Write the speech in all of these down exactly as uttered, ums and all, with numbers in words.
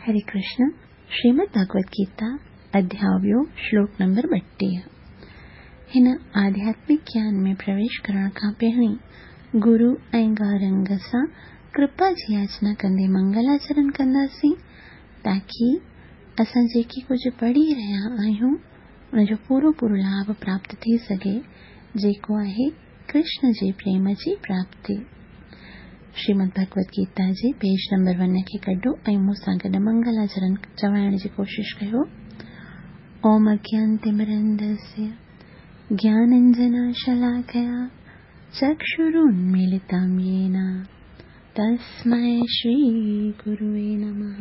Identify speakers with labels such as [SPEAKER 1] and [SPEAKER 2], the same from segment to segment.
[SPEAKER 1] हरे कृष्ण। श्रीमद् भगवद गीता अध्याय ॿियो श्लोक नंबर ॿटीह। हिन आध्यात्मिक ज्ञान में प्रवेश करण खां पहिरीं गुरु ऐं गौरंग सां कृपा जी याचना कंदे मंगलाचरण कंदासीं ताकी असां जेकी कुझु पढ़ी रहिया आहियूं उनजो पूरो पूरो लाभ प्राप्त थी सघे, जेको आहे कृष्ण जे प्रेम जी प्राप्ति। श्रीमद् भगवद गीता जे पेज नंबर वन खे कढो ऐं मूंसां गॾु मंगलाचरण चवाइण जी कोशिश कयो। ओम अज्ञानतिमिरन्धस्य ज्ञानाञ्जनशलाकया चक्षुरुन्मीलितं येन तस्मै श्रीगुरुवे नमः।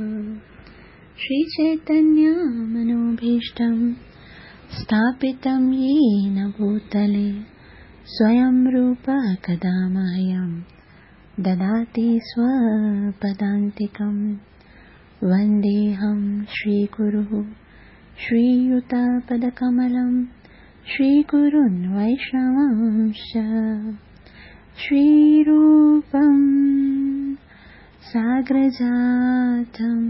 [SPEAKER 1] श्रीचैतन्यमनोभीष्टं स्थापितं येन भूतले स्वयं रूपः कदा मह्यं ददाति स्वपदान्तिकं। वन्देऽहं श्रीगुरुः श्रीयुतपदकमलं श्रीगुरुन् वैष्णवांश्च। श्रीरूपं साग्रजातं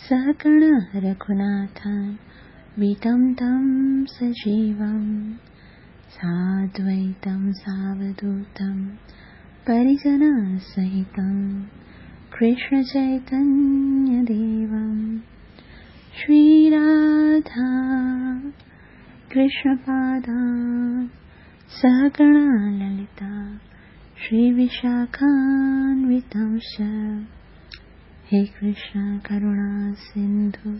[SPEAKER 1] सहगण रघुनाथान्वितं तं सजीवं साद्वैतं सावधूतं परिजनसहितं कृष्णचैतन्यदेवं। श्रीराधा कृष्णपादान् सहगणा ललिता श्रीविशाखान्वितांश्च। हे कृष्ण करुणा सिन्धु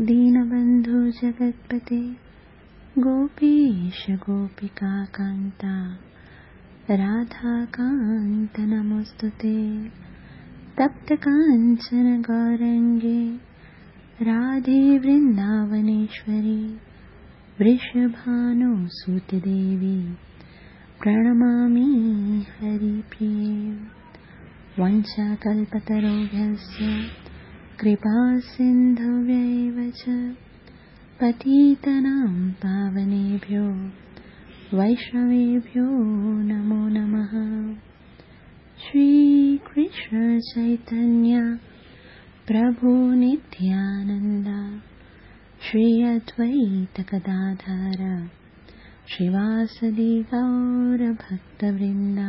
[SPEAKER 1] दीनबन्धु जगत्पते गोपीश गोपिकान्ता राधाकान्त नमोऽस्तु ते। तप्तकाञ्चन गौरङ्गे राधे वृन्दावनेश्वरी वृषभानुसुते देवी प्रणमामि हरिप्रिये। वंशाकल्पतरुभ्यश्च कृपासिन्धुभ्यैव च पतितानां पावनेभ्यो वैष्णवेभ्यो नमो नमः। श्रीकृष्ण चैतन्य प्रभु नित्यानन्द श्री अद्वैत गदाधर श्रीवासदि गौरभक्तवृन्द।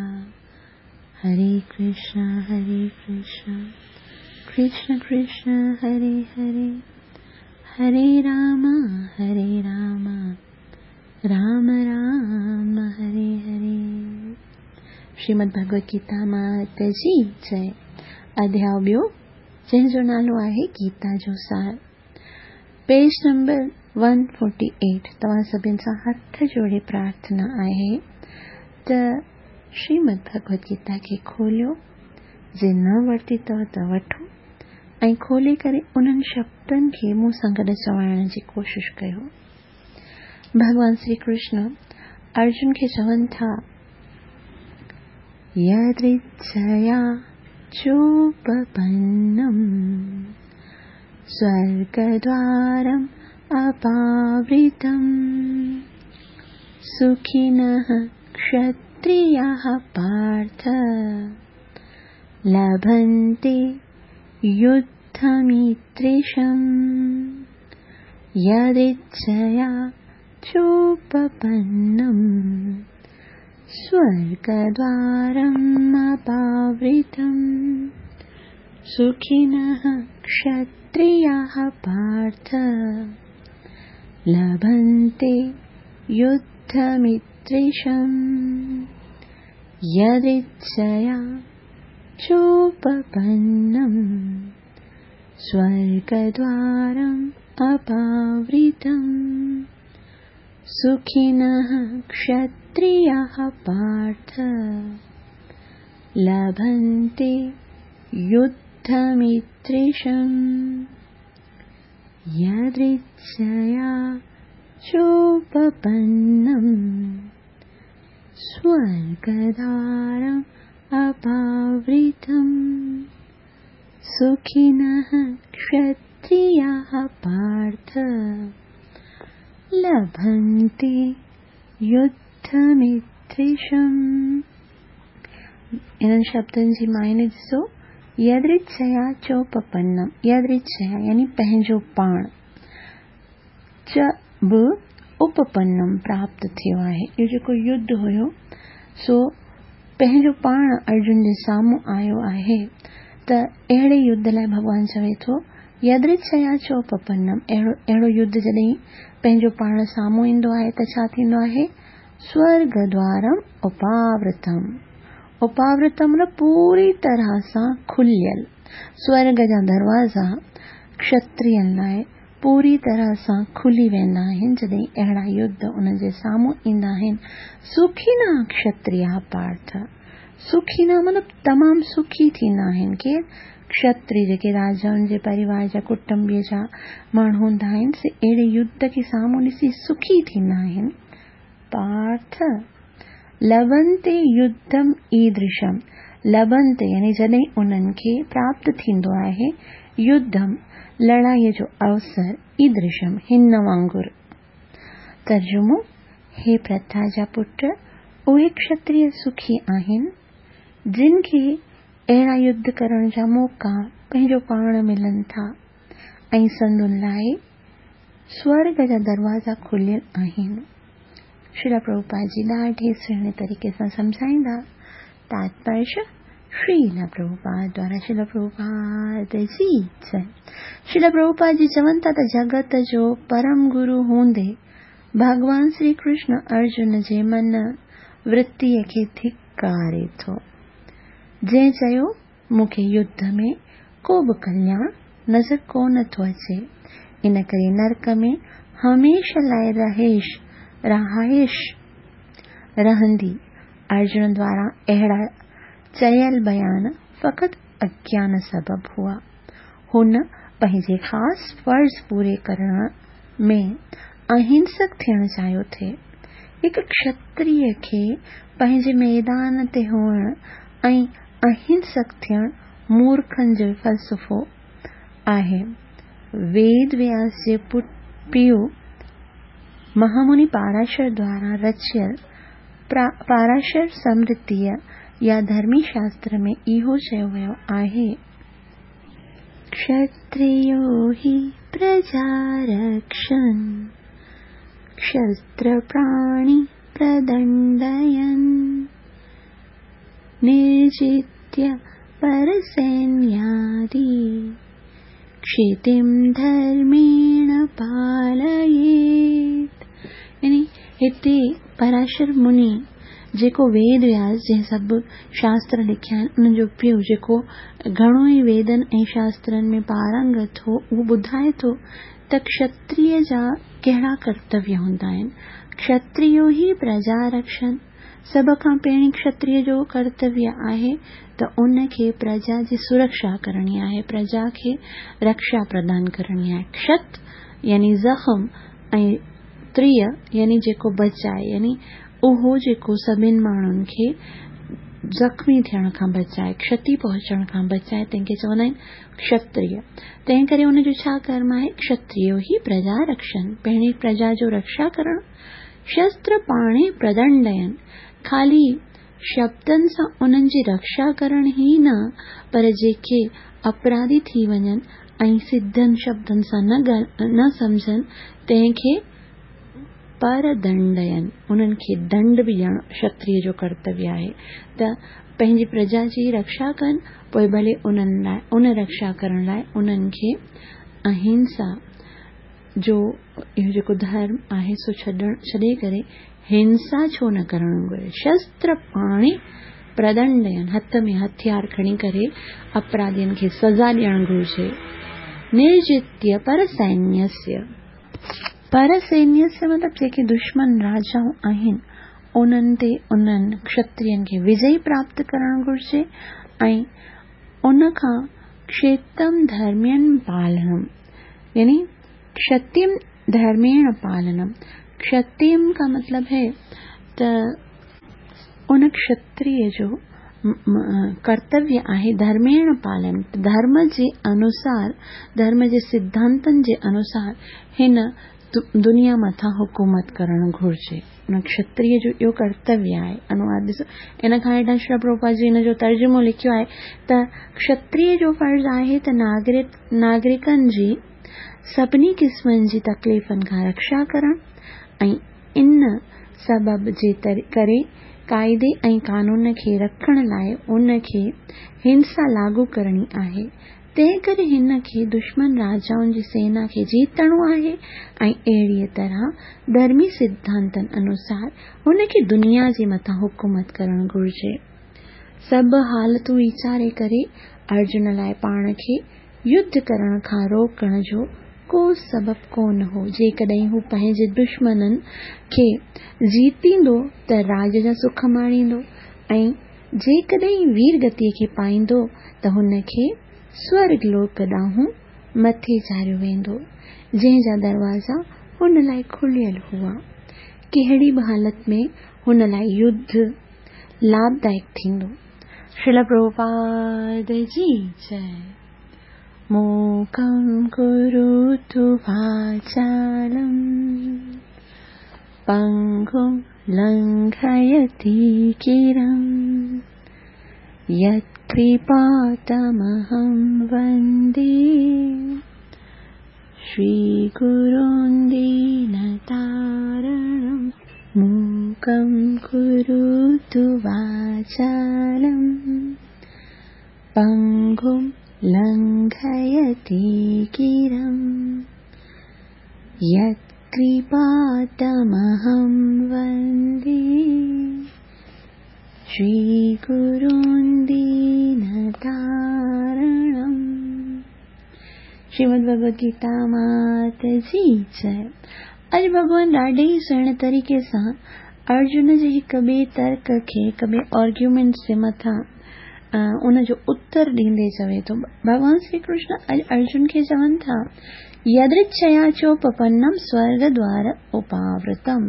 [SPEAKER 1] हरे कृष्ण हरे कृष्ण कृष्ण कृष्ण हरे हरे, हरे राम हरे राम राम राम हरे हरे। श्रीमद् भगवद गीता मात जी जय। अध्याय ॿियो जंहिंजो नालो आहे गीता जो सार। पेज नंबर एक सौ अठतालीह। तव्हां सभिनि सां हथ जोड़े प्रार्थना आहे त श्रीमद् भगवद गीता खे खोलियो, जे न वरिती अथव त वठो ऐं खोले करे उन्हनि शब्दनि खे मूंसां गॾु चवाइण जी कोशिश कयो। भॻवान श्री कृष्ण अर्जुन खे चवनि था, यदृच्छया चोपपन्नं स्वर्गद्वारम् अपावृतं सुखिनः क्षत्रियाः पार्थ लभन्ते युद्धमित्रिषम्। यदृच्छया चोपपन्नं स्वर्गद्वारम् अपावृतं सुखिनः क्षत्रियाः पार्थ लभन्ते युद्धमित्रिषम्। यदृच्छया चोपपन्नं स्वर्गद्वारम् अपावृतं सुखिनः क्षत्रियाः पार्थ लभन्ते युद्धमित्रिषम्। यदृच्छया चोपपन्नं स्वर्गद्वारम् अपावृतं सुखिनः क्षत्रियाः पार्थ लभन्ते युद्धमित्रिषम्। इन्हनि शब्दनि जी मायने ॾिसो, यदृच्छया चोपपन्नम, यदृच्छया यानी पंहिंजो पाण, च बि उपपन्नम प्राप्त थियो आहे। इहो जेको युद्ध हुयो सो पंहिंजो पाण अर्जुन जे साम्हूं आयो आहे। त अहिड़े युद्ध लाइ भॻवान चवे थो यदृच्छया चोपपन्नम, अहिड़ो अहिड़ो युद्ध जॾहिं पंहिंजो पाण साम्हूं ईंदो आहे त छा थींदो आहे? स्वर्गद्वारम उपावृतम, उपावृतम मतलब पूरी तरह सां खुलियल, स्वर्ग जा दरवाज़ा क्षत्रियनि लाइ पूरी तरह सां खुली वेंदा आहिनि जॾहिं अहिड़ा युद्ध उन्हनि जे साम्हूं ईंदा आहिनि। सुखिना क्षत्रिया पार्थ, सुखिना मतलब तमामु सुखी थींदा आहिनि। केरु? क्षत्रिय, जेके राजाउनि जे परिवार जा कुटुंबीअ जा माण्हू हूंदा आहिनि, से अहिड़े युद्ध खे साम्हूं ॾिसी सुखी थींदा आहिनि। पार्थ लभन्ते युद्धम ईदृशम, लभन्ते यानी जॾहिं उन्हनि खे प्राप्त थींदो आहे युद्धम लड़ाईअ जो अवसर, ईदृशम हिन वांगुरु। तर्जुमो, हे प्रथा जा पुट, उहे क्षत्रिय सुखी आहिनि जिन खे अहिड़ा युद्ध करण जा मौक़ा पंहिंजो पाण मिलनि था ऐं संदुनि लाइ स्वर्ग जा दरवाज़ा खुलियल आहिनि। श्रील प्रभुपाद जी ॾाढे सुहिणे तरीक़े सां सम्झाईंदा। तात्पर्य श्रील प्रभुपाद द्वारा श्रील प्रभुपाद जी जय। श्रील प्रभुपाद जी चवनि था त जगत जो परम गुरु हूंदे भॻवान श्री कृष्ण अर्जुन जे मन वृत्तीअ खे धिकारे थो, जंहिं चयो मूंखे युद्ध में को बि कल्याण नज़र कोन थो अचे, इन करे नरक में हमेशह लाइ रहिश रहाइश रहंदी। अर्जुन द्वारा अहिड़ा चयल बयान फ़क़ति अज्ञान सबबु हुआ। हुन पंहिंजे ख़ासि फ़र्ज़ पूरे करण में अहिंसक थियणु चाहियो थे। हिकु क्षत्रिय खे पंहिंजे मैदान ते हुअण ऐं अहिंसक थियणु मूर्खनि जो फ़लसफ़ो आहे। वेद व्यास जे पीउ महामुनि पाराशर द्वारा रचियल पाराशर स्मृतीअ या धर्मी शास्त्र में इहो चयो वियो आहे, क्षत्रियो हि प्रजा रक्षन् क्षत्रप्राणि प्रदण्डयन् निर्जित्य परसैन्यादि क्षितिं धर्मेण पालयेत्। यानी हिते पराशर मुनि जेको वेद व्यास जंहिं सभु शास्त्र लिखिया आहिनि, उन्हनि जो पीउ जेको घणो ई वेदनि ऐं शास्त्रनि में पारंगत हो, उहो ॿुधाए थो त क्षत्रिय जा कहिड़ा कर्तव्य हूंदा आहिनि। क्षत्रियो ही प्रजा रक्षण, सभ खां पहिरीं क्षत्रिय जो कर्तव्य आहे त उनखे प्रजा जी सुरक्षा करणी आहे, प्रजा खे रक्षा प्रदान करणी आहे। क्षत यानी ज़ख़म ऐं त्रिय यानी जेको बचाए, यानी उहो जेको सभिनि माण्हुनि खे ज़ख़्मी थियण खां बचाए, क्षति पहुचण खां बचाए, तंहिंखे चवंदा आहिनि क्षत्रिय। तंहिं करे उनजो छा कर्म आहे? क्षत्रियो ही प्रजा रक्षण, पहिरीं प्रजा जो रक्षा करणु। शस्त्र पाणे प्रदंडयन, ख़ाली शब्दनि सां उन्हनि जी रक्षा करण ई न, पर जेके अपराधी थी वञनि ऐं सिधनि शब्दनि सां न न सम्झनि, तंहिंखे परदंडयन, उन्हनि खे दंड बि ॾियणु क्षत्रिय जो कर्तव्य आहे। त पंहिंजी प्रजा जी रक्षा कनि, पोइ भले उन्हनि लाइ उन रक्षा करण लाइ उन्हनि खे अहिंसा जो इहो जेको धर्म आहे सो छॾण छॾे करे हिंसा छो न करणु घुरिजे। शस्त्र पाणे प्रदंडयन, हथ में हथियार खणी करे अपराधियुनि खे सज़ा ॾियणु घुरिजे। निर्जित्य परसैन्यस्य, परसैन्यस्य मतिलबु जेके दुश्मन राजाऊं आहिनि उन्हनि ते उन्हनि क्षत्रियनि खे विजय प्राप्त करणु घुरिजे ऐं उन खां क्षेत्रम धर्मेण पालनम, यानी क्षतिम धर्मेण पालनम। क्षतिम का मतलब है त उन क्षत्रिय जो कर्तव्य आहे धर्मेण पालन, धर्म जे अनुसार, धर्म जे सिद्धांतनि जे अनुसार हिन दुनिया मथां हुकूमत करणु घुरिजे। उन क्षत्रिय जो इहो कर्तव्य आहे। अनुवाद ॾिसो, इन खां हेठां श्री प्रभुपाद जी हिन जो तर्जुमो लिखियो आहे त क्षत्रिय जो फ़र्ज़ आहे त नागरिक नागरिकनि जी सभिनी क़िस्मनि जी तकलीफ़नि खां रक्षा करणु ऐं इन सबब जे करे काइदे ऐं कानून खे रखण लाइ उनखे हिंसा लागू करणी आहे। तंहिं करे हिन खे दुश्मन राजाउनि जी सेना खे जीतणो आहे ऐं अहिड़ीअ तरह धर्मी सिद्धांतनि अनुसार हुनखे दुनिया जे मथां हुकूमत करणु घुरिजे। सभु हालतूं वीचारे करे अर्जुन लाइ पाण खे युद्ध करण खां रोकण जो को सबबु कोन हो। जेकॾहिं हू पंहिंजे दुश्मननि खे जीतींदो त राज जा सुख माणींदो ऐं जेकॾहिं वीर गतीअ खे पाईंदो त हुनखे स्वर्ग लोक ॾांहुं मथे चाढ़ियो वेंदो, जंहिं जा दरवाज़ा हुन लाइ खुलियल हुआ। कहिड़ी बि हालत में हुन लाइ युद्ध लाभदायक थींदो। श्रील प्रभुपाद जी जय। मूकं करोतु वाचालं पङ्गुं लङ्घयति गिरिं यत्कृपातमहं वन्दे श्रीगुरुं दीनतारणं। मूकं करोतु वाचालं पङ्गुं लङ्घयति गिरिं यत्कृपातमहं वन्दे श्रीगुरुं दीनतारणं। श्रीमद् भगवद गीता मात जी जय। अॼु भॻवान ॾाढे ई सुहिणे तरीक़े सां अर्जुन जे हिक ॿिए तर्क खे, हिक ॿिए आर्ग्यूमेंट जे मथां उन जो उत्तर ॾींदे चवे थो। भॻवान श्री कृष्ण अॼु अर्जुन खे चवनि था, यदृच्छया चोपपन्नम स्वर्ग द्वार उपावृतम,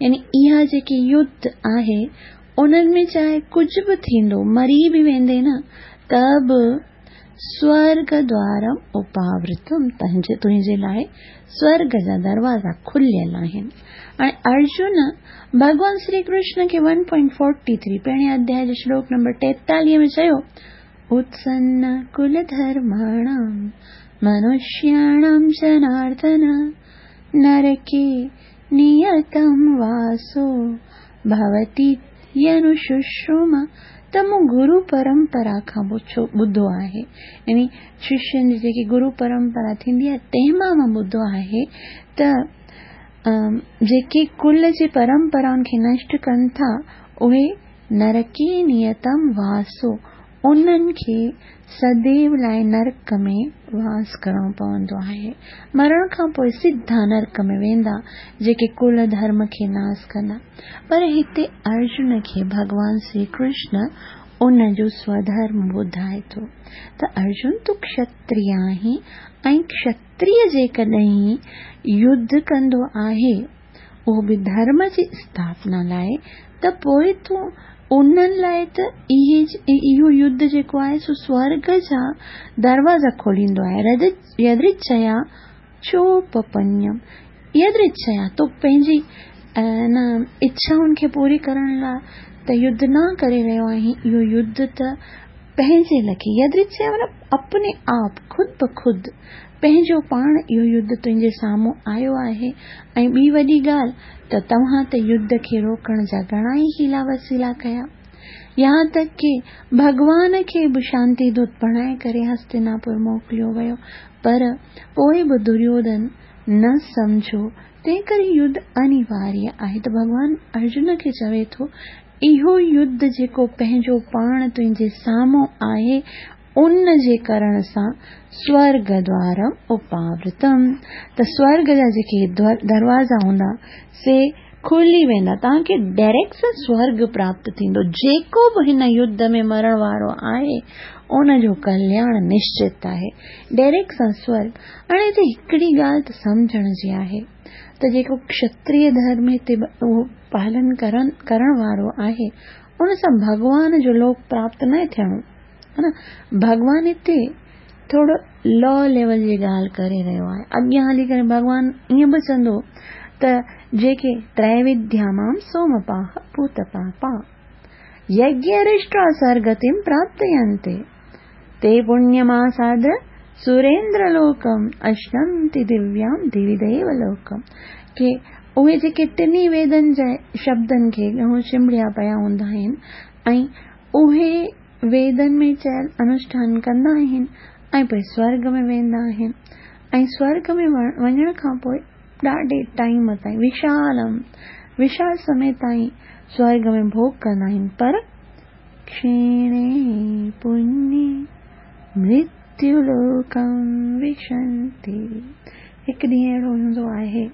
[SPEAKER 1] यानी इहा जेकी युद्ध आहे उन्हनि में चाहे कुझु बि थींदो, मरी बि वेंदे न, त बि स्वर्ग द्वारम उपावृतम, तुंहिंजे तुंहिंजे लाइ स्वर्ग जा दरवाज़ा खुलियल आहिनि। हाणे अर्जुन भॻवान श्री कृष्ण खे वन पॉइंट फोर्टी थ्री पहिरें अध्याय जे श्लोक नंबर टेतालीह में चयो, उत्सन्न कुलधर्माणां मनुष्याणां जनार्दन नरके नियतं वासो भवति यनुशुश्रुम। त मूं गुरु परंपरा खां ॿुधो आहे, यानी शिष्यनि जी जेकी गुरु परंपरा थींदी आहे तंहिं मां मां ॿुधो आहे त जेके कुल जे परंपराउनि खे नष्ट कनि था उहे नरके नियतम वासो, उन्हनि खे सदैव लाइ नरक में वास करणो पवंदो आहे। मरण खां पोइ सिधा नरक में वेंदा जेके कुल धर्म खे नास कंदा। पर हिते अर्जुन खे भॻवान श्री कृष्ण उन जो स्वधर्म ॿुधाए थो त अर्जुन तूं क्षत्रिय आहीं ऐं क्षत्रिय जेकॾहिं युद्ध कंदो आहे उहो बि धर्म जी स्थापना लाइ, त पोइ तूं उन्हनि लाइ त इहे इहो युद्ध जेको आहे सो स्वर्ग जा दरवाज़ा खोलींदो आहे। यदृच्छया चोपपन्यम, यदृच्छया तो पंहिंजी न इच्छाउनि खे पूरी करण लाइ त युद्ध न करे रहियो आहीं, इहो युद्ध त पंहिंजे लखे, यदृच्छया माना अपने आप, ख़ुद ब ख़ुद पंहिंजो पाण इहो युद्ध तुंहिंजे साम्हूं आयो आहे। ऐं ॿी वॾी ॻाल्हि त तव्हां त युद्ध खे रोकण जा घणा ई हीला वसीला कया, यहाँ तक कि भॻवान खे बि शांति दूत बणाए करे हस्तिनापुर मोकिलियो वियो, पर पोइ बि दुर्योधन न सम्झो, तंहिं करे युद्ध अनिवार्य आहे। त भॻवान अर्जुन खे चवे थो इहो युद्ध जेको पंहिंजो पाण तुंहिंजे साम्हूं आहे उन जे करण सां स्वर्ग द्वारम उपावृतम, त स्वर्ग जा जेके दरवाज़ा हूंदा से खुली वेंदा, तव्हांखे डायरेक्ट सां स्वर्ग प्राप्त थींदो। जेको बि हिन युद्ध में मरण वारो आहे उन जो कल्याण निश्चित आहे, डायरेक्ट सां स्वर्ग। हाणे हिते हिकिड़ी ॻाल्हि त सम्झण जी आहे त जेको क्षत्रिय धर्म हिते उहो पालन करण करण वारो आहे उन सां भॻवान जो लोक प्राप्त न थियणो, हा न। भॻवान हिते थोरो लो लेवल जी ॻाल्हि करे रहियो आहे। अॻियां हली करे भॻवान ईअं बि चवंदो त जेके त्रैविद्या मां सोमपाः पूतपापा यज्ञरिष्टा सर्गतिं प्राप्तयन्ते ते पुण्यमासाद्य सुरेन्द्रलोकम् अश्नन्ति दिव्यां दिवि देवलोकम्। के उहे जेके टिन्ही वेदनि जे शब्दनि खे चिंबड़िया पिया हूंदा आहिनि ऐं उहे वेदनि में चयल अनुष्ठान कंदा आहिनि ऐं पोइ स्वर्ग में वेंदा आहिनि ऐं स्वर्ग में वञण खां पोइ ॾाढे टाइम ताईं विशालम विशाल समय ताईं स्वर्ग में भोग कंदा आहिनि, पर क्षीणे पुण्ये मृत्युलोकं विशन्ति। हिकु ॾींहुं अहिड़ो हूंदो आहे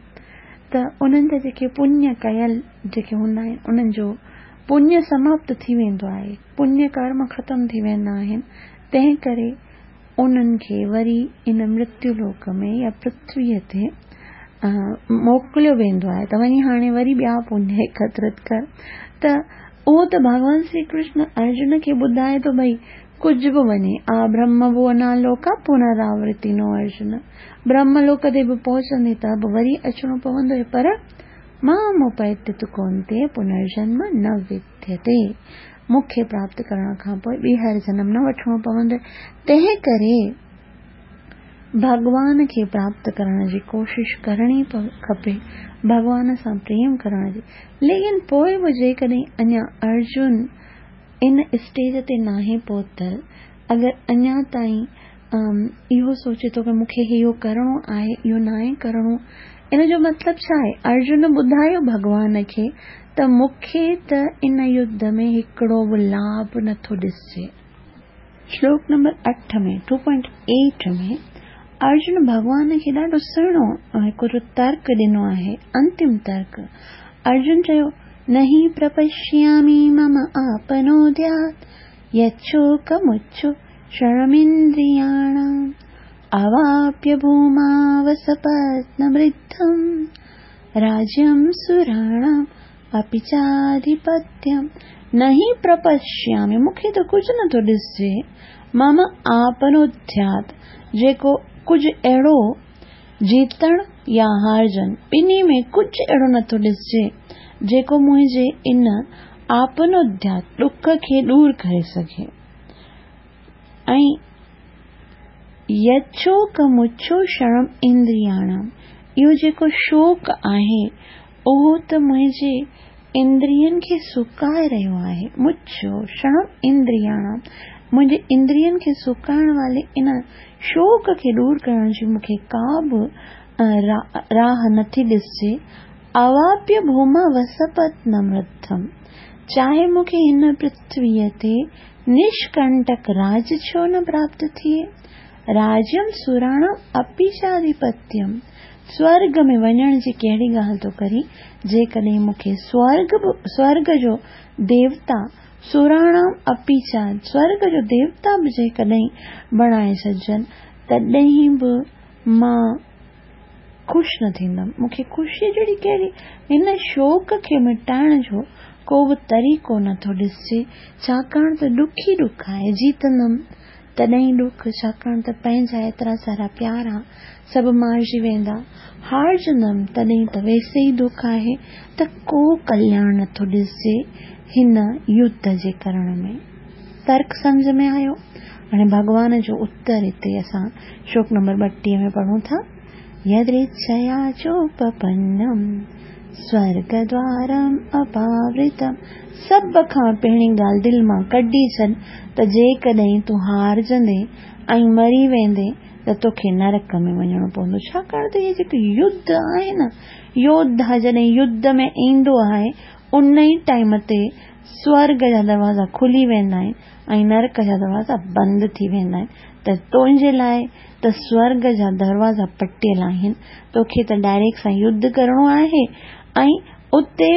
[SPEAKER 1] त उन्हनि जा जेके पुण्य कयल जेके हूंदा आहिनि उन्हनि जो पुण्य समाप्त थी वेंदो आहे, पुण्य कर्म ख़तमु थी वेंदा आहिनि, तंहिं करे उन्हनि खे वरी इन मृत्युलोक में या पृथ्वीअ ते मोकिलियो वेंदो आहे त वञी हाणे वरी ॿिया पुण्य एकत्रित कर। त उहो त भॻवान श्री कृष्ण अर्जुन खे ॿुधाए थो भई कुझु बि वञे, आ ब्रह्म भुवना लोका पुनरावृत्ति नो अर्जुन, ब्रह्मलोक ते बि पहुचंदे त बि वरी अचिणो पवंदो, पर मामुपैति तु कौन्तेय पुनर्जन्म न विद्यते, मूंखे प्राप्त करण खां पोइ ॿीहर जनम न वठिणो पवंदो। तंहिं करे भॻवान खे प्राप्त करण जी कोशिश करणी खपे, भॻवान सां प्रेम करण जी। लेकिन पोइ बि जेकॾहिं अञा अर्जुन इन स्टेज ते नाहे पहुतल, अगरि अञा ताईं इहो सोचे थो की मूंखे इहो करिणो आहे इहो नाहे करिणो, इन जो मतिलबु छा आहे? अर्जुन ॿुधायो भॻवान खे त मूंखे त इन युद्ध में हिकिड़ो बि लाभ नथो ॾिसजे। श्लोक नंबर अठ में टू पॉइंट एट में अर्जुन भॻवान खे ॾाढो सुहिणो हिकिड़ो तर्क ॾिनो आहे, अंतिम तर्क। अर्जुन चयो, नहि प्रपश्यामि मम आपनोद्यात् यच्छोकमुच्छु शरणमिन्द्रियाणाम् अवाप्य भूमावसपत्नवृद्धं राज्यं सुराणाम् अपि चाधिपत्यम्। नहि प्रपश्यामि, मूंखे त कुझु नथो ॾिसजे, मम आपनोद्यात्, जेको कुझु अहिड़ो जीतण या हारजण ॿिन्ही में कुझु अहिड़ो नथो ॾिसजे जेको मुंहिंजे इन आपनोद्यात ॾुख खे दूर करे सघे। ऐं यच्छोकमुच्छो शरणम इंद्रियाणाम, इहो जेको शोक आहे उहो त मुंहिंजे इंद्रियनि खे सुकाए रहियो आहे। मुच्छो शरणम इंद्रियाणाम, मुंहिंजे इंद्रियनि खे सुकाइण वारे इन शोक खे दूर करण जी मूंखे का बि राह नथी ॾिसजे। अवाप्य भूमा वसपत्नमृद्धम, चाहे मूंखे हिन पृथ्वीअ ते निष्कंटक राज छो न प्राप्त थिए, राज्यम सुराणाम अपि चाधिपत्यम, स्वर्ग में वञण जी कहिड़ी ॻाल्हि थो करी, जेकॾहिं मूंखे स्वर्ग स्वर्ग जो देवता सुराणाम अपि चा, स्वर्ग जो देवता बि जेकॾहिं बणाए छॾिजनि तॾहिं बि मां ख़ुशि न थींदमि। मूंखे ख़ुशी जहिड़ी कहिड़ी, हिन शोक खे मिटाइण जो को बि तरीक़ो नथो ॾिसजे, छाकाणि त ॾुख ई ॾुख आहे। जीतंदमि तॾहिं ॾुख, छाकाणि त पंहिंजा एतिरा सारा प्यारा सभु मारिजी वेंदा, हारजंदमि तॾहिं त वैसे ई दुख आहे, त को कल्याण नथो ॾिसजे हिन युद्ध जे करण में। तर्क सम्झ में आयो? हाणे भॻवान जो उत्तर हिते असां श्लोक नंबर ॿटीह में पढ़ूं था। यदृच्छया चोपपन्नम स्वर्गद्वारम अपावृतम। सभ खां पहिरीं ॻाल्हि दिलि मां कढी छॾ त जेकॾहिं तूं हारजंदे ऐं मरी वेंदे त तोखे नरक में वञिणो पवंदो। छाकाणि त इहे जेके युद्ध आहे न, योद्धा जॾहिं युद्ध में ईंदो आहे उन ई टाइम ते स्वर्ग जा दरवाज़ा खुली वेंदा आहिनि ऐं नरक जा दरवाज़ा बंदि थी वेंदा आहिनि। त तुंहिंजे लाइ त स्वर्ग जा दरवाज़ा पटियल आहिनि, तोखे त डायरेक्ट सां युद्ध करिणो आहे ऐं उते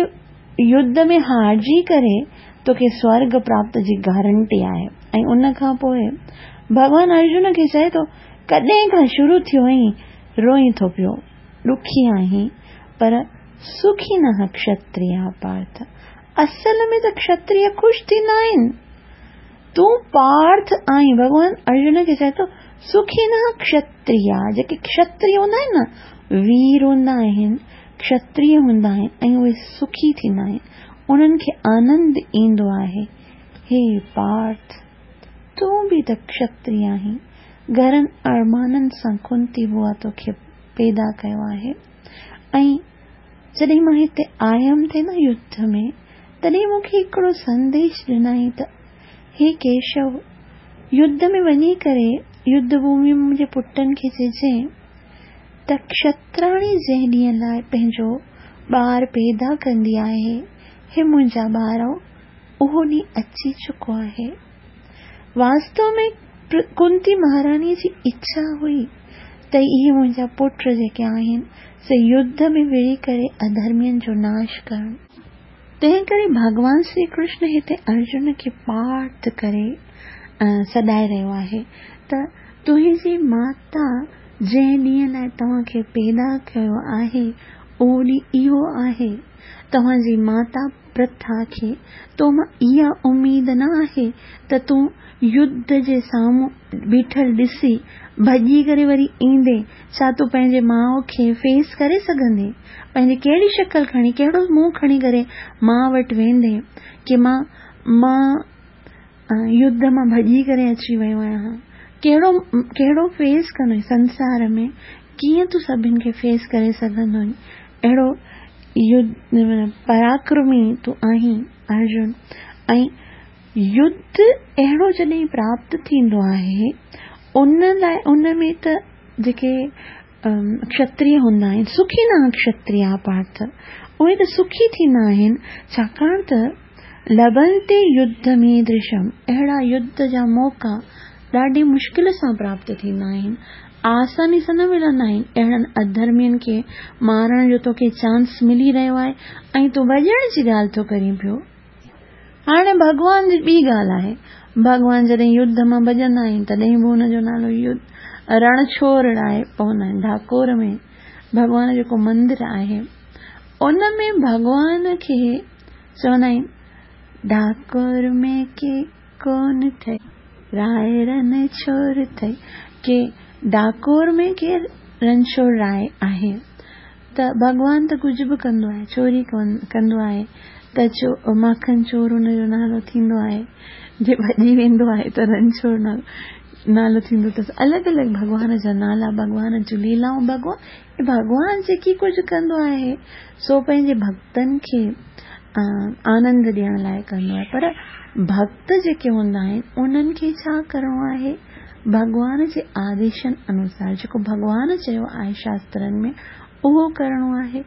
[SPEAKER 1] युद्ध में हारजी करे तोखे स्वर्ग प्राप्त जी गारंटी आहे। ऐं उन खां पोइ भॻवान अर्जुन खे चए थो, कॾहिं खां शुरू थियो आहीं रोई थो पियो, ॾुखी आहीं, पर सुखी न क्षत्रिय पार्थ। असल में त क्षत्रिय ख़ुशि थींदा आहिनि, तूं पार्थ आहीं। भॻवान अर्जुन खे चए थो, سکينه ڪشتريا، جيڪي ڪشتري هوندا آهن نه، وير هوندا آهن، ڪشتري هوندا آهن ۽ اهي سکي ٿيندا آهن، انهن کي آنند ايندو آهي. هي پارٿ، تون به ته ڪشتري آهين، گهڻن ارمانن سان ڪنتي بوا توکي پيدا ڪيو آهي. ۽ جڏهن مان هتي آيم ٿي نه يڌ ۾، تڏهن مون کي هڪڙو سنديش ڏنائين ته هي ڪيشو، يڌ ۾ وڃي ڪري يڌ ڀومي ۾ منهنجي پٽن کي چئجين ته ڪشتراڻي جنهن ڏينهن لاء پنهنجو ٻار پيدا ڪندي آهي، هي منهنجا ٻارو، اهو ڏينهن اچي چڪو آهي. واستو ۾ ڪنتي مهاراڻيء جي اڇا هئي ته اهي منهنجا پٽ جيڪي آهن سي يڌ ۾ وڙهي ڪري اڌرمين جو ناش ڪرن. تنهن ڪري ڀڳوان شري ڪرشن هتي ارجن کي پارٿ ڪري سڏائي رهيو آهي ته تنهنجي ماتا جنهن ڏينهن لاء توهان کي پيدا ڪيو آهي اهو ڏينهن اهو آهي. توهان جي ماتا پرٿا کي تو مان اها اميد نه آهي ته تون يڌ جي سامهون بيٺل ڏسي ڀڄي ڪري وري ايندين. ڇا تون پنهنجي ماء کي فيس ڪري سگهندين؟ پنهنجي ڪهڙي شڪل کڻي، ڪهڙو منهن کڻي ڪري ماء وٽ ويندين ڪي مان مان يڌ مان ڀڄي ڪري اچي ويو آهيان؟ ڪهڙو ڪهڙو فيس ڪندين سنسار ۾ ڪيئن تون سڀن کي فيس ڪري سگهندين؟ اهڙو يڌ پراڪرمي تون آهين ارجن. ۽ يڌ اهڙو جڏهن پراپت ٿيندو آهي ان لاء ان ۾ ته جيڪي ڪشتري هوندا آهن، سکي نه ڪشتريا پارٿ، اهي ته سکي ٿيندا آهن، ڇاڪاڻ ته لڀنتي يڌ ۾ درشم، اهڙا يڌ جا موقعا ڏاڍي مشڪل سان پراپت ٿيندا آهن، آساني سان نه ملندا آهن. اهڙن اڌرمين کي مارڻ جو توکي چانس ملي رهيو آهي ۽ تون ڀڄڻ جي ڳالهه ٿو ڪرين پيو. هاڻي ڀڳوان جي ٻي ڳالهه آهي، ڀڳوان جڏهن يڌ مان ڀڄندا آهن تڏهن به ان جو نالو يڌ رڻڇوڙ راء پوندا آهن. ڊاڪور ۾ ڀڳوان جو جيڪو مندر آهي ان ۾ ڀڳوان کي چوندا آهن ڊاڪور ۾ ڪي ڪون ٿئي راء رڻڇوڙ ٿئي، ڪي ڊاڪور ۾ ڪي رڻڇوڙ راء آهي. ته ڀڳوان ته ڪجهه به ڪندو آهي، چوري ڪندو آهي ته چو ماکن چور ان جو نالو ٿيندو آهي، جي ڀڄي ويندو آهي ته رڻڇوڙ نالو نالو ٿيندو اٿس. الڳ الڳ ڀڳوان جا نالا، ڀڳوان جون ليلائون، ڀڳوان ڀڳوان جيڪي ڪجهه ڪندو آهي سو پنهنجي ڀڳتن کي آنند ڏيڻ لاءِ ڪندو آهي. پر ڀڳت جيڪي هوندا آهن انهن کي ڇا ڪرڻو آهي؟ ڀڳوان جي آديشن انوسار جيڪو ڀڳوان چيو آهي شاسترن ۾ اهو ڪرڻو آهي.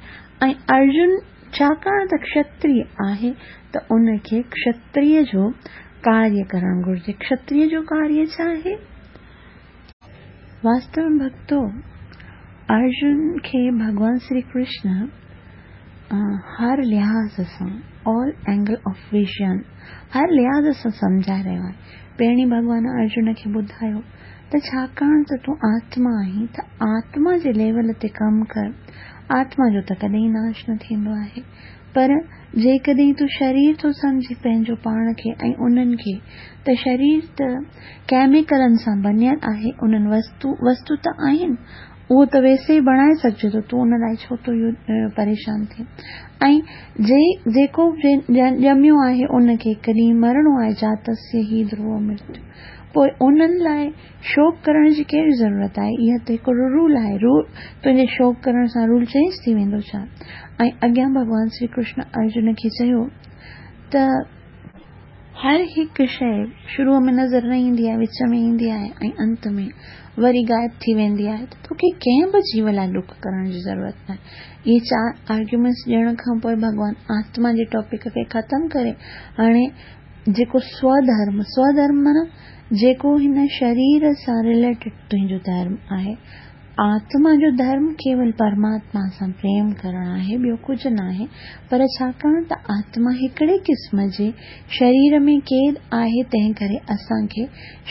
[SPEAKER 1] ۽ ارجن ڇاڪاڻ ته ڪشتري آهي ته ان کي ڪشتري جو ڪاريه ڪرڻ گهرجي. ڪشتري جو ڪاريه ڇا آهي؟ واستو ۾ ڀڳتو، ارجن کي ڀڳوان شري ڪرشن هر لحاظ سان، آل اينگل آف ويزن، هر لحاظ سان سمجهائي رهيو آهي. پهرين ڀڳوان ارجن کي ٻڌايو ته ڇاڪاڻ ته تون آتما آهين ته آتما جي ليول تي ڪم ڪر. آتما جو ته ڪڏهن ناش نه ٿيندو آهي، پر جيڪڏهن تون شرير ٿو سمجهي پنهنجو پاڻ کي ۽ انهن کي، ته شرير ته ڪيميڪلن سان بنيل آهي، انهن وستو وستو ته آهن، اهو ته ويسي ئي بڻائي سگهجي ٿو، تون ان لاءِ ڇو ٿو پريشان ٿئين؟ ۽ جي جيڪو ڄميو آهي ان کي هڪ ڏينهن مرڻو آهي، جاتسيه هي ڌرو مرتيو، پوءِ انهن لاءِ شوڪ ڪرڻ جي ڪهڙي ضرورت آهي؟ اها ته هڪڙو رول آهي، رول تنهنجي شوڪ ڪرڻ سان رول چينج ٿي ويندو ڇا؟ ۽ اڳيان ڀڳوان شري ڪرشن ارجن کي چيو ته هر هڪ شيءِ شروع ۾ نظر نه ايندي آهي، وچ ۾ ايندي آهي ۽ انت ۾ وري غائب ٿي ويندي آهي، ته توکي ڪنهن به جيو لاءِ ڏک ڪرڻ جي ضرورت ناهي. اهي چار آرگيومينٽس ڏيڻ کان پوءِ ڀڳوان آتما جي ٽاپڪ کي ختم ڪري هاڻي جيڪو سوڌرم، سوڌرم معنيٰ جيڪو هن شرير سان رليٽيڊ تنهنجو ڌرم آهي، آتما جو ڌرم ڪيول پرماتما سان پريم ڪرڻ آهي، ٻيو ڪجهه ناهي. پر ڇاڪاڻ ته آتما هڪڙي قسم جي شرير ۾ قيد آهي، تنهن ڪري اسان کي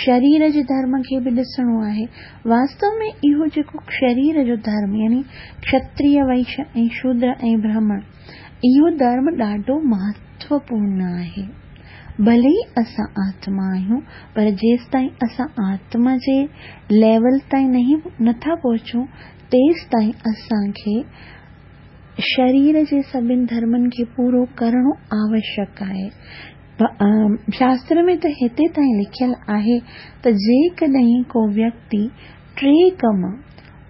[SPEAKER 1] شرير جي ڌرم کي به ڏسڻو آهي. واستو ۾ اهو جيڪو شرير جو ڌرم يعني ڪشتري، وئش ۽ شودر ۽ برهمڻ، اهو ڌرم ڏاڍو مهتوپورڻ آهي. ڀلي ئي اسان آتما آهيون، پر جيستائين اسان آتما جي ليول تائين نهين نٿا پهچون، تيستائين اسان کي شرير جي سڀني ڌرمن کي پورو ڪرڻو آوشيڪ آهي. شاستر ۾ ته هتي تائين لکيل آهي ته جيڪڏهن ڪو ويڪتي ٽي ڪم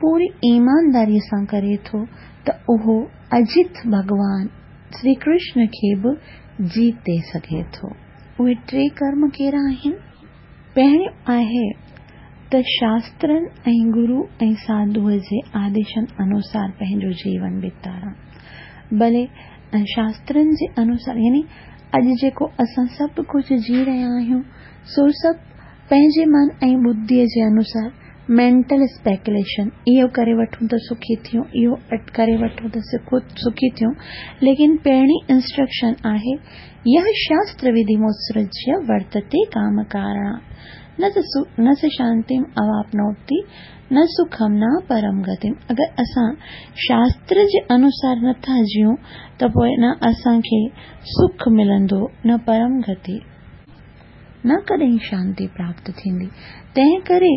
[SPEAKER 1] پوري ايمانداريءَ سان ڪري ٿو ته اهو اجيت ڀڳوان شري ڪرشن کي به جيتي سگهي ٿو. اهي ٽي ڪرم ڪهڙا آهن؟ پهريون آهي ته شاسترن ۽ گرو ۽ ساڌوءَ جي آديشن انوسار پنهنجو جيون بتارڻ. ڀلي شاسترن جي انوسار يعني اڄ جيڪو اسان سڀ ڪجهه جي رهيا آهيون سو سڀ پنهنجي من ۽ ٻڌيءَ جي انوسار مينٽل اسپيڪيوليشن، اهو ڪري وٺون ته سکي ٿيون، اهو ڪري وٺون ته سکي ٿيون. ليڪن پهرين انسٽرڪشن آهي يهه شاستر وڌي موتسرجيه ورتتي ڪام ڪارڻ نه س شانتيم اواپنوتي نه سکم نه پرم گتيم. اگر اسان شاستر جي انوسار نٿا جيون ته پوءِ نه اسان کي سک ملندو، نه پرم گتي، نه ڪڏهن شانتي پراپت ٿيندي. تنهن ڪري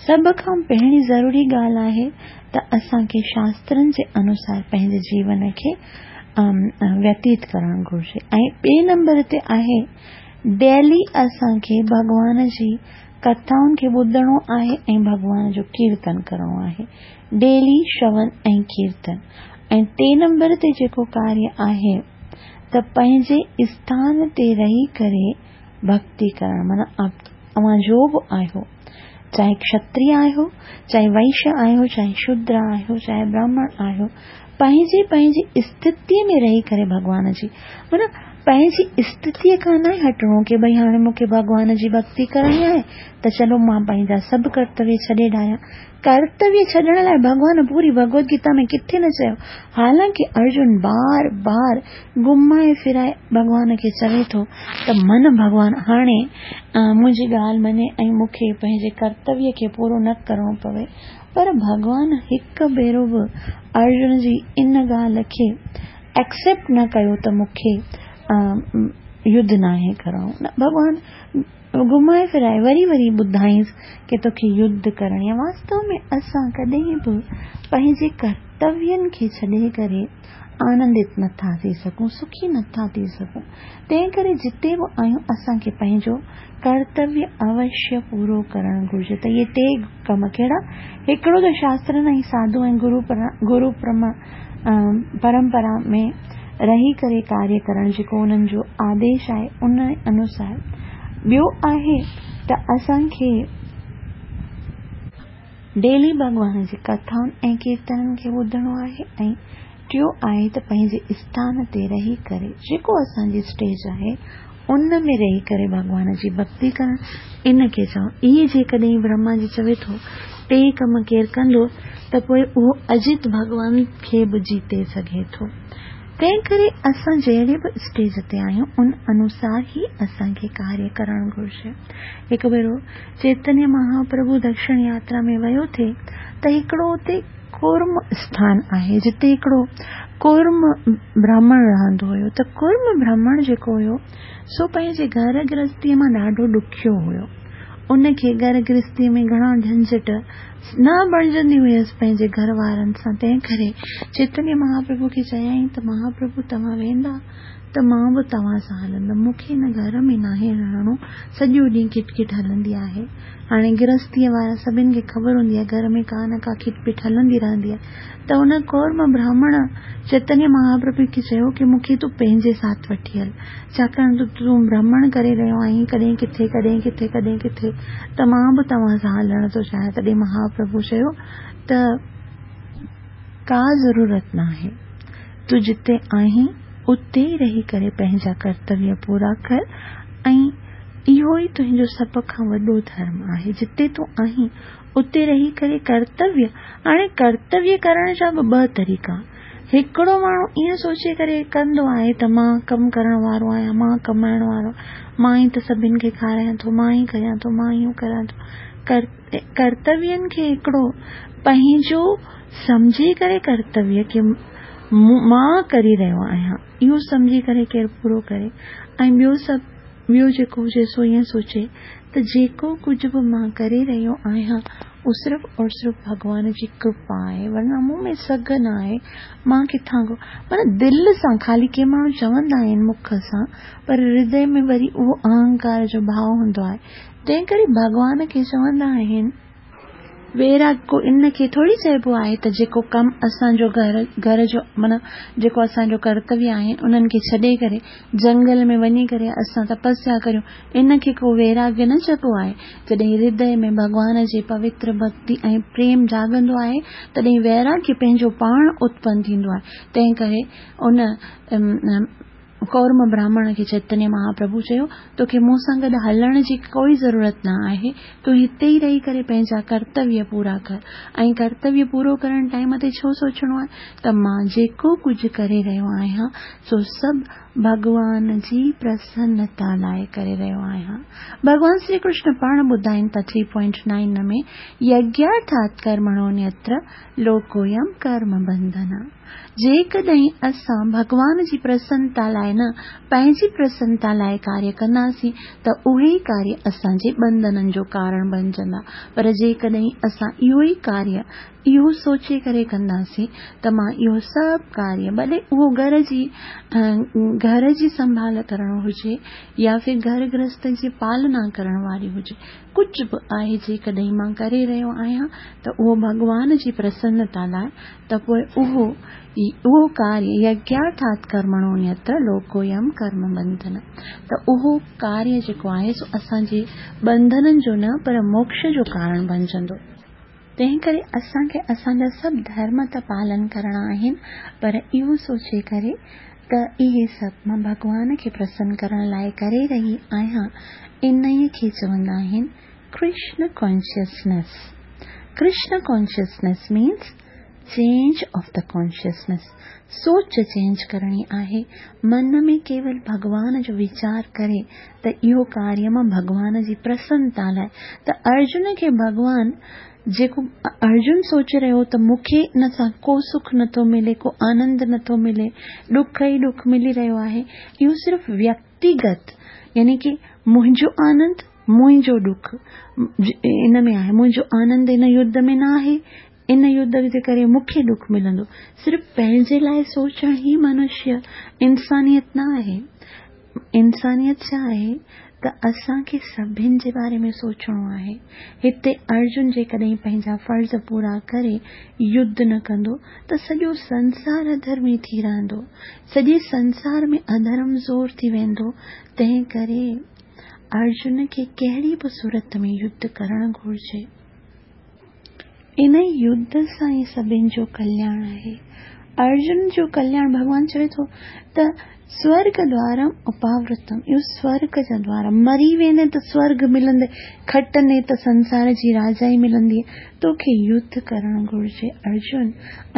[SPEAKER 1] سڀ کان پهرين ضروري ڳالهه آهي ته اسان کي شاسترن جي انوسار پنهنجي جيون کي ويتيت ڪرڻ گهرجي. ۽ ٻئي نمبر تي آهي ڊيلي اسان کي ڀڳوان جي ڪٿائن کي ٻڌڻو آهي ۽ ڀڳوان جو ڪيرتن ڪرڻو آهي، ڊيلي شرون ۽ ڪيرتن. ۽ ٽي نمبر تي جيڪو ڪاريه آهي ته پنهنجي اسٿان تي رهي ڪري ڀڪتي ڪرڻ، معنيٰ اوهان جو به آهيو، چاهي ڪشتريه آهيو، چاهي وئشيه آهيو، چاهي شودر آهيو، چاهي براهمڻ آهيو، پنهنجي پنهنجي اسٿتيءَ ۾ رهي ڪري ڀڳوان جي، معنيٰ پنهنجي اسٿتيءَ کان نه هٽڻو ڪه ڀئي هاڻي مون کي ڀڳوان جي ڀڪتي ڪرڻي آهي ته چلو مان پنهنجا سڀ ڪرتويه ڇڏي ڏيان. ڪرتويه ڇڏڻ لاءِ ڀڳوان پوري ڀڳوت گيتا ۾ ڪٿي نه چيو. حالانڪه ارجن بار بار گهمائي ڦرائي ڀڳوان کي چوي ٿو ته من ڀڳوان هاڻي منهنجي ڳالهه مڃي ۽ مون کي پنهنجي ڪرتويه کي پورو نه ڪرڻو پوي. پر ڀڳوان هڪ ڀيرو به ارجن جي ان ڳالهه کي ايڪسيپٽ نه ڪيو ته مون کي يڌ ناهي ڪرڻو. نه، ڀڳوان گهمائي ڦرائي وري وري ٻڌائينس ڪه توکي يڌ ڪرڻي آهي. واستو ۾ اسان ڪڏهن به پنهنجي ڪرتوين کي ڇڏي ڪري آنندت نٿا ٿي سگهون، سکي نٿا ٿي سگهون. تنهن ڪري جتي به آهيون اسان کي پنهنجو ڪرتويه اوشيه پورو ڪرڻ گهرجي. ته اهي ٽي ڪم ڪهڙا؟ هڪڙو ته شاسترن ۽ ساڌو ۽ گرو گرو پرمپرا ۾ رهي ڪري ڪاريه ڪرڻ جيڪو انهن جو آديش آهي ان انوسار. ٻيو آهي ته اسان کي ڊيلي ڀڳوان جي ڪٿائن ۽ ڪيرتنن کي ٻڌڻو آهي. ۽ ٽيون آهي ته پنهنجي اسٿان تي رهي ڪري جيڪو اسان جي اسٽيج آهي ان ۾ رهي ڪري ڀڳوان جي ڀڪتي ڪرڻ، ان کي چئون. اهي جيڪڏهن برهما جي چوي ٿو ٽي ڪم ڪير ڪندو ته پوءِ اهو اجيت ڀڳوان کي به جيتي سگهي ٿو. تنهن ڪري اسان جهڙي به اسٽيج تي آهيون ان انوسار ئي اسان کي ڪاريه ڪرڻ گهرجي. هڪ ڀيرو چيتنيه مهاپرڀو دڪشڻ ياترا ۾ ويو ٿئي ته هڪڙو اتي ڪرم اسٿان آهي جتي هڪڙو ڪرم براهمڻ رهندو هيو. ته ڪرم براهمڻ جيڪو هيو سو پنهنجي گهر گرهستيءَ مان ڏاڍو ڏکيو هيو. ان کي گهر گرهستيءَ ۾ گهڻا جهنجهٽ نه بڻجندي هيس پنهنجي گهر وارن سان. تنهن ڪري چيتنيه مهاپرڀو کي چيائين ته مهاپرڀو توهان ويندا ته مان به توهان سان هلندم، مون کي هن گهر ۾ ناهي رهڻو، سڄو ڏينهن کٽ کٽ هلندي آهي. هاڻي گرهستيءَ وارا سڀني کي خبر هوندي آهي گهر ۾ ڪا نه ڪا کٽ پٽ هلندي رهندي آهي. ته هن ڪورم براهمڻ چيتنيه مهاپرڀو کي چيو ڪه مون کي تون پنهنجي ساٿ وٺي هل، ڇاڪاڻ ته تون ڀرمڻ ڪري رهيو آهين ڪڏهن ڪٿي ڪڏهن ڪٿي ڪڏهن ڪٿي، ته مان به توهان سان هلڻ ٿو چاهيان. تڏهن مهاپرڀو چيو ته ڪا ضرورت ناهي، تون جتي آهين اتي ئي رهي ڪري پنهنجا ڪرتويه پورا ڪر ۽ اهو ئي تنهنجو سڀ کان وڏو ڌرم آهي. جتي تون آهين اتي رهي ڪري ڪرتويه. هاڻي ڪرتويه ڪرڻ جا به ٻه طريقا. هڪڙو ماڻهو ائين سوچي ڪري ڪندو آهي ته مان ڪم ڪرڻ وارو آهيان، مان ڪمائڻ وارو، مان ئي ته سڀني کي کارايان ٿو، مان ئي ڪريان ٿو، مان اهو ڪريان ٿو. ڪرتوين کي هڪڙو پنهنجو سمجهي ڪري ڪرتويه کي مان ڪري رهيو آهيان اهو سمجهي ڪري ڪير پورو ڪري ۽ ٻيو سڀ ٻيو جيڪو هجي سو ائين سوچي ته جيڪو ڪجهه به مان ڪري رهيو آهيان اهو صرف اور صرف ڀڳوان جي ڪرپا آهي، ورنه مون ۾ سگهه نه آهي، مان ڪٿان کان معنيٰ دل سان خالي ڪي ماڻهو چوندا آهن مک سان پر هردي ۾ وري اهو اهنڪار جو ڀاو هوندو آهي، تنهن ڪري ڀڳوان کي چوندا آهن. ويراڳ ڪو ان کي ٿوري چئبو آهي ته جيڪو ڪم اسان جو گهر گهر جو معنيٰ جيڪو اسان جو ڪرتويه آهي انهن کي ڇڏي ڪري جنگل ۾ وڃي ڪري اسان تپسيا ڪريون ان کي ڪو ويراڳ نه چئبو آهي. جڏهن هردي ۾ ڀڳوان جي پوتر ڀڳتي ۽ پريم جاڳندو آهي تڏهن ويراڳ پنهنجو پاڻ اتپن ٿيندو آهي. تنهن ڪري ان ڪورم براهمڻ کي چيتنيه مهاپرڀو چيو، توکي مون سان گڏ هلڻ جي ڪوئي ضرورت نه آهي، تون هتي ئي رهي ڪري پنهنجا ڪرتويه پورا ڪر ۽ ڪرتويه پورو ڪرڻ ٽائيم تي ڇو سوچڻو آهي ته مان جيڪو ڪجهه ڪري رهيو آهيان سو سڀ ڀڳوان جي پرسنتا لاء ڪري رهيو آهيان. ڀڳوان شري ڪرشن پاڻ ٻڌائين ٿا ٿري پوائنٽ نائن ۾ يگيارٿات ڪرمڻونيتر لوڪويم ڪرم بنڌن. جيڪڏهن اسان ڀڳوان جي پرسنتا لاء نه پنهنجي پرسنتا لاء ڪاريه ڪنداسين ته اهي ئي ڪاريه اسان جي ٻنڌنن جو ڪارڻ بڻجندا، پر جيڪڏهن اسان اهو ئي ڪاريه اهو سوچي ڪري ڪنداسين ته مان اهو سڀ ڪاريه ڀلي اهو گهر جي گهر جي سنڀال ڪرڻو هجي يا ڦر گهر گرهست جي پالنا ڪرڻ واري هجي، ڪجهه به آهي جيڪڏهن مان ڪري رهيو آهيان ته اهو ڀڳوان جي پرسنتا لاء ته پوء اهو اهو ڪاريه يگيارٿات ڪرمڻونيتر لوڪويم ڪرم بنڌن ته اهو ڪاريه جيڪو آهي سو اسان جي ٻنڌنن جو نه پر موڪش جو ڪارڻ بڻجندو. تنهن ڪري اسان کي اسان جا سڀ ڌرم ته پالن ڪرڻا آهن پر اهو سوچي ڪري ته اهي سڀ مان ڀڳوان کي پرسن ڪرڻ لاء ڪري رهي آهيان، انهيء کي چوندا آهن Krishna consciousness. Krishna consciousness means change of the consciousness. سوچ چينج ڪرڻي آهي، من ۾ ڪيول ڀڳوان جو ويچار ڪري ته اهو ڪاريه مان ڀڳوان جي پرسنتا لاء ته ارجن کي ڀڳوان جيڪو ارجن سوچي رهيو ته مون کي ان سان ڪو سک نٿو ملي، ڪو آنند نٿو ملي، ڏک ئي ڏک ملي رهيو آهي، اهو صرف ويڪتيگت يعني ڪي منهنجو آنند منهنجو ڏک ان ۾ آهي، منهنجو آنند ان يڌ ۾ نه آهي، ان يڌ جي ڪري مون کي ڏک ملندو. صرف پنهنجي لاء سوچڻ ئي منشيه انسانيت نه آهي. انسانيت ڇا آهي ته اسان کي سڀن جي باري ۾ سوچڻو آهي. هتي ارجن جيڪڏهن پنهنجا فرض پورا ڪري يڌ نه ڪندو ته سڄو سنسار اڌرمي ٿي رهندو، سڄي سنسار ۾ اڌرم زور ٿي ويندو. تنهن ڪري ارجن کي ڪهڙي به صورت ۾ يڌ ڪرڻ گهرجي. ان يڌ سان ئي سڀن جو ڪلياڻ آهي. ارجن جو ڪلياڻ ڀڳوان چوي ٿو ته سورڳ دوارم اپاورتم، اهو سورڳ جا دوار، مري ويندين ته سورڳ ملندي، کٽندين ته سنسار جي راجائي ملندي. توکي يڌ ڪرڻ گهرجي ارجن،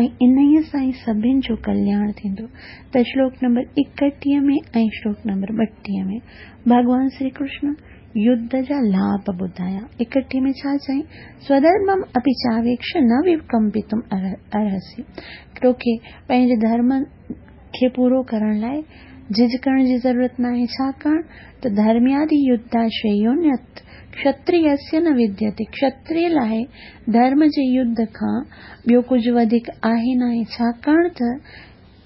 [SPEAKER 1] ۽ انهيء سان ئي سڀن جو ڪلياڻ ٿيندو. ته شلوڪ نمبر ايڪٽيهه ۾ ۽ شلوڪ نمبر ٻٽيهه ۾ ڀڳوان شري ڪرشن يڌ جا لاڀ ٻڌايا. ايڪٽيهه ۾ ڇا چيائين؟ سوڌرمم اپي چاويڪش نه وڪمپتم ارهسي. توکي پنهنجي ڌرم کي پورو ڪرڻ لاء جهجڪڻ جي ضرورت ناهي، ڇاڪاڻ ته ڌرميادي يڌا شريونيت ڪشتريسيه نه وديتي. ڪشتريه لاء ڌرم جي يڌ کان ٻيو ڪجهه وڌيڪ آهي ناهي، ڇاڪاڻ ته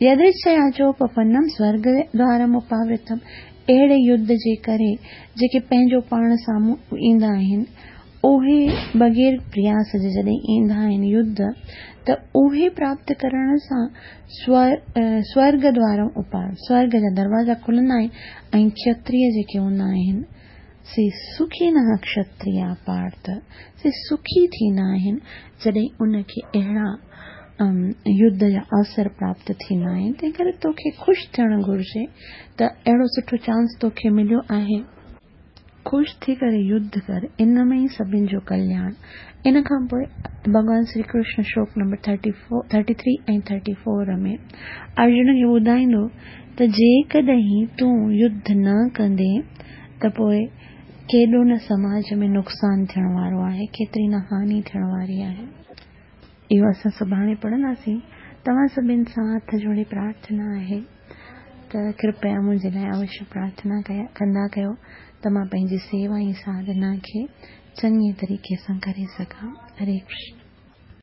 [SPEAKER 1] يدرڇيا چوپپنم سورڳ دوارم اپاورتم. اهڙي يڌ جي ڪري جيڪي پنهنجو پاڻ سامهون ايندا آهن، اهي بغير پرياس جي جڏهن ايندا آهن يڌ، ته اهي پراپت ڪرڻ سان سورڳ دوارم اپار، سورڳ جا دروازا کلندا آهن ۽ کشتريه جيڪي هوندا آهن سي سکي نه کشتريه پارٿ، سي سکي ٿيندا آهن جڏهن ان کي اهڙا يڌ جا اوسر پراپت ٿيندا آهن. تنهن ڪري توکي خوش ٿيڻ گهرجي ته اهڙو سٺو چانس توکي مليو آهي، خوش ٿي ڪري يڌ ڪر، ان ۾ ئي سڀن جو ڪلياڻ. ان کان پوء ڀڳوان Shri Krishna شلوڪ number thirty four, thirty three ۽ thirty four ۾ Arjun کي ٻڌائيندو ته جيڪڏهن تون يڌ نه ڪندين ته پوء ڪيڏو نه سماج ۾ نقصان ٿيڻ وارو آهي، ڪيتري نه هاني ٿيڻ واري آهي. اهو اسان سڀاڻي پڙهنداسين. توهان سڀني سان هٿ جوڙي پرارٿنا آهي ته ڪرپيا منهنجي لاءِ اوشيه پرارٿنا ڪيا ڪندا ڪيو ته مان پنهنجي سيوا ۽ ساڌنا کي چڱي طريقي سان ڪري سگهان. هري ڪرشن.